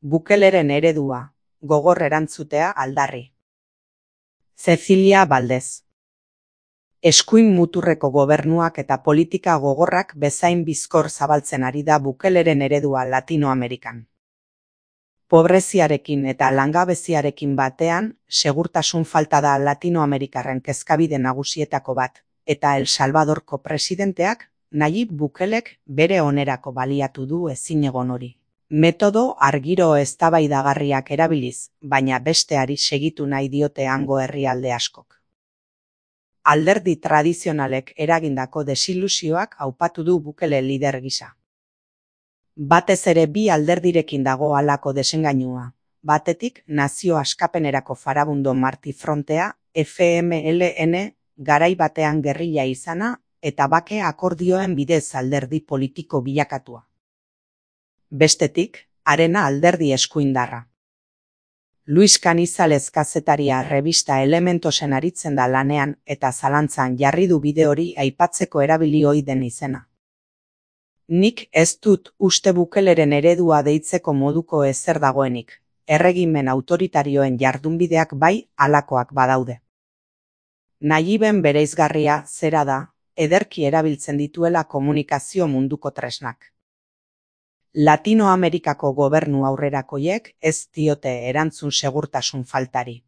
Bukeleren eredua, gogor erantzutea aldarri. Cecilia Valdez. Eskuin muturreko gobernuak eta politika gogorrak bezain bizkor zabaltzen ari da Bukeleren eredua Latinoamerikan. Pobreziarekin eta langabeziarekin batean, segurtasun falta da Latinoamerikarren kezkabide nagusietako bat, eta El Salvadorko presidenteak, Nayib Bukelek bere onerako baliatu du ezinegon hori. Metodo argiro eztabaidagarriak erabiliz, baina besteari segitu nahi diote hango herrialde askok. Alderdi tradizionalek eragindako desilusioak aupatu du Bukele lider gisa. Batez ere bi alderdirekin dago halako desengainua. Batetik, Nazio Askapenerako Farabundo Marti Frontea, FMLN, garai batean gerrilla izana, eta bake akordioen bidez alderdi politiko bilakatua. Bestetik, Arena alderdi eskuindarra. Luis Canizales kazetaria revista Elementosen aritzen da lanean eta zalantzan jarri du bide hori aipatzeko erabili ohi den izena. Nik ez dut uste Bukeleren eredua deitzeko moduko ezer dagoenik, erregimen autoritarioen jardunbideak bai halakoak badaude. Nayiben bereizgarria zera da, ederki erabiltzen dituela komunikazio munduko tresnak. Latinoamerikako gobernu aurrerakoiek ez diote erantzun segurtasun faltari.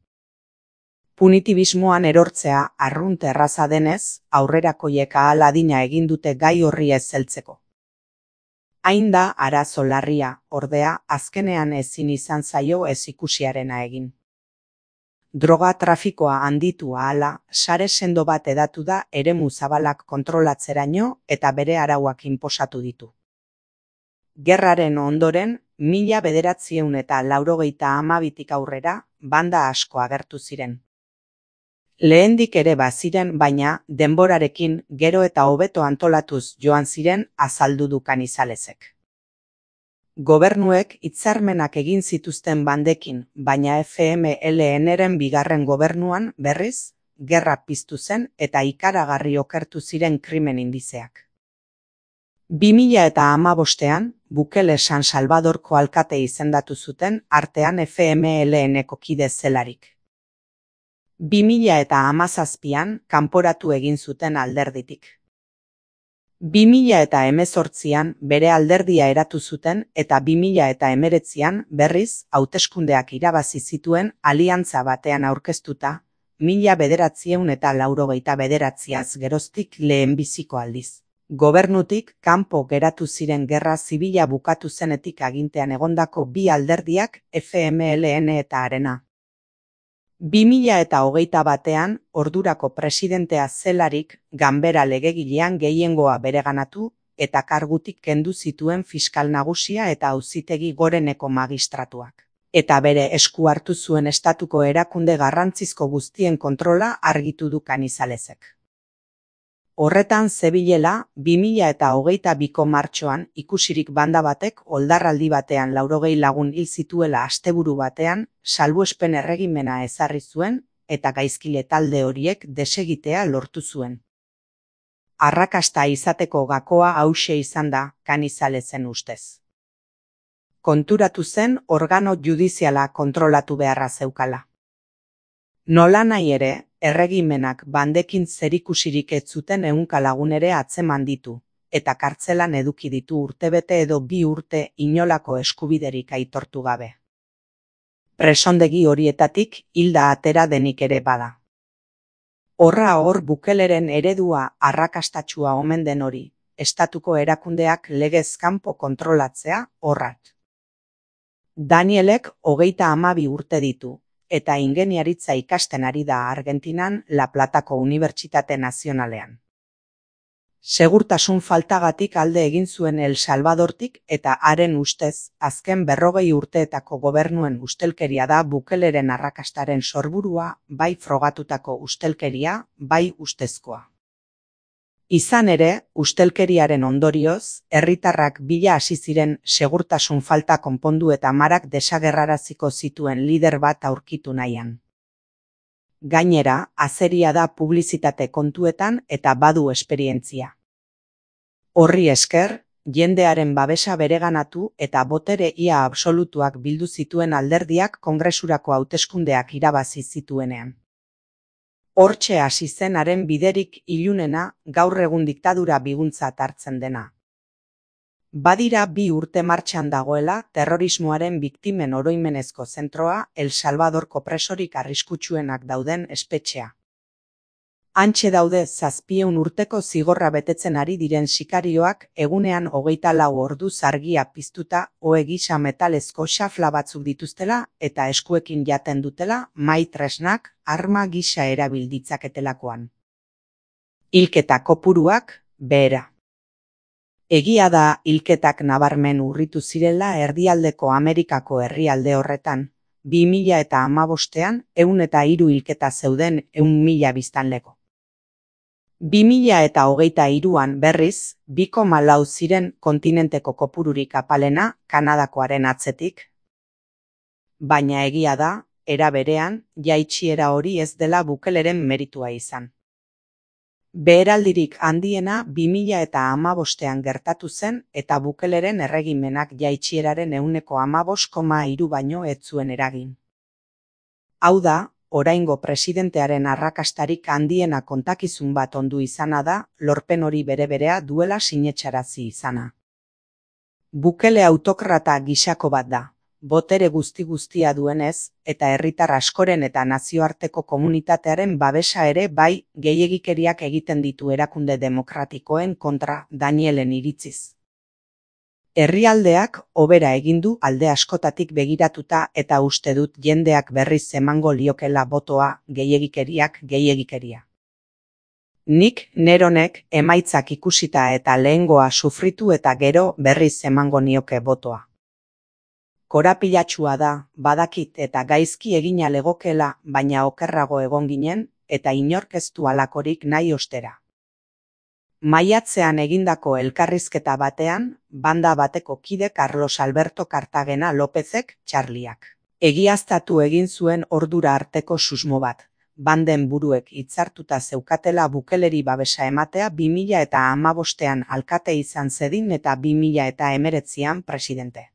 Punitibismoan erortzea arrunt erraza denez, aurrerakoiek ahal adina egin dute gai horri ez heltzeko. Hain da arazo larria, ordea, azkenean ezin izan zaio ez ikusiarena egin. Droga trafikoa handitu ahala, sare sendo bat hedatu da eremu zabalak kontrolatzeraino eta bere arauak inposatu ditu. Gerraren ondoren, 1982tik aurrera, banda asko agertu ziren. Lehendik ere baziren, baina denborarekin gero eta hobeto antolatuz joan ziren azaldu du Canizalesek. Gobernuek hitzarmenak egin zituzten bandekin, baina FMLNren bigarren gobernuan berriz, gerra piztu zen eta ikaragarri okertu ziren krimen indizeak. 2015ean, Bukele San Salvadorko alkate izendatu zuten artean FMLNko kide zelarik. 2017an kanporatu egin zuten alderditik. 2018an bere alderdia eratu zuten eta 2019an berriz hauteskundeak irabazi zituen aliantza batean aurkeztuta 1989az geroztik lehenbiziko aldiz. Gobernutik kanpo geratu ziren gerra zibila bukatu zenetik agintean egondako bi alderdiak FMLN eta Arena. 2021an ordurako presidentea zelarik ganbera legegilean gehiengoa bereganatu eta kargutik kendu zituen fiskal nagusia eta auzitegi goreneko magistratuak. Eta bere esku hartu zuen estatuko erakunde garrantzizko guztien kontrola argitu du Canizalesek. Horretan zebilela, 2022ko martxoan ikusirik banda batek oldarraldi batean 80 lagun hil zituela asteburu batean, salbuespen erregimena ezarri zuen eta gaizkile talde horiek desegitea lortu zuen. Arrakasta izateko gakoa hauxe izan da, Canizalesen ustez. Konturatu zen organo judiziala kontrolatu beharra zeukala. Nolanahi ere, erregimenak bandekin zerikusirik ez zuten 100 lagun ere atzeman ditu, eta kartzelan eduki ditu urtebete edo 2 urte inolako eskubiderik aitortu gabe. Presondegi horietatik hilda atera denik ere bada. Horra hor Bukeleren eredua arrakastatsua omen den hori, estatuko erakundeak legez kanpo kontrolatzea horrat. Danielek 32 urte ditu, eta ingeniaritza ikasten ari da Argentinan La Platako Unibertsitate Nazionalean. Segurtasun faltagatik alde egin zuen El Salvadortik eta haren ustez, azken 40 urteetako gobernuen ustelkeria da Bukeleren arrakastaren sorburua, bai frogatutako ustelkeria, bai ustezkoa. Izan ere, ustelkeriaren ondorioz, herritarrak bila hasi ziren segurtasun falta konpondu eta marak desagerraraziko zituen lider bat aurkitu nahian. Gainera, azeria da publizitate kontuetan eta badu esperientzia. Horri esker, jendearen babesa bereganatu eta botere ia absolutuak bildu zituen alderdiak kongresurako hauteskundeak irabazi zituenean. Hortxe hasi zen haren biderik ilunena, gaur egun diktadura biguntzat hartzen dena. Badira 2 urte martxan dagoela terrorismoaren biktimen oroimenezko zentroa El Salvadorko presorik arriskutsuenak dauden espetxea. Hantxe daude 700 urteko zigorra betetzen ari diren sikarioak egunean 24 orduz argia piztuta ohe gisa metalezko xafla batzuk dituztela eta eskuekin jaten dutela mahai tresnak arma gisa erabil ditzaketelakoan. Hilketa kopuruak behera. Egia da hilketak nabarmen urritu zirela erdialdeko Amerikako herrialde horretan, 2015ean 103 hilketa zeuden 100.000 biztanleko. 2023an berriz, 2,4 ziren kontinenteko kopururik apalena Kanadakoaren atzetik. Baina egia da, era berean, jaitsiera hori ez dela Bukeleren meritua izan. Beheraldirik handiena 2015ean gertatu zen eta Bukeleren erregimenak jaitsieraren 15,3 baino ez zuen eragin. Hau da, oraingo presidentearen arrakastarik handiena kontakizun bat ondu izana da, lorpen hori bere-berea duela sinetsarazi izana. Bukele autokrata gisako bat da, botere guzti-guztia duenez, eta herritar askoren eta nazioarteko komunitatearen babesa ere bai gehiegikeriak egiten ditu erakunde demokratikoen kontra Danielen iritziz. Herrialdeak hobera egin du alde askotatik begiratuta eta uste dut jendeak berriz emango liokela botoa gehiegikeria. Nik neronek emaitzak ikusita eta lehengoa sufritu eta gero berriz emango nioke botoa. Korapilatsua da, badakit eta gaizki egina legokela, baina okerrago egon ginen eta inork ez du halakorik nahi ostera. Maiatzean egindako elkarrizketa batean, banda bateko kide Carlos Alberto Cartagena Lópezek Txarliak egiaztatu egin zuen ordura arteko susmo bat, banden buruek hitzartuta zeukatela Bukeleri babesa ematea 2015ean alkate izan zedin eta 2019an presidente.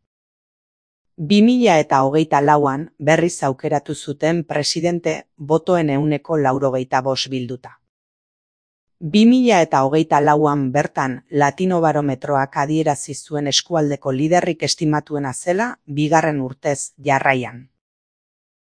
2024an berriz aukeratu zuten presidente botoen 95% bilduta. 2024an bertan Latinobarometroak adierazi zuen eskualdeko liderrik estimatuena zela 2. urtez jarraian.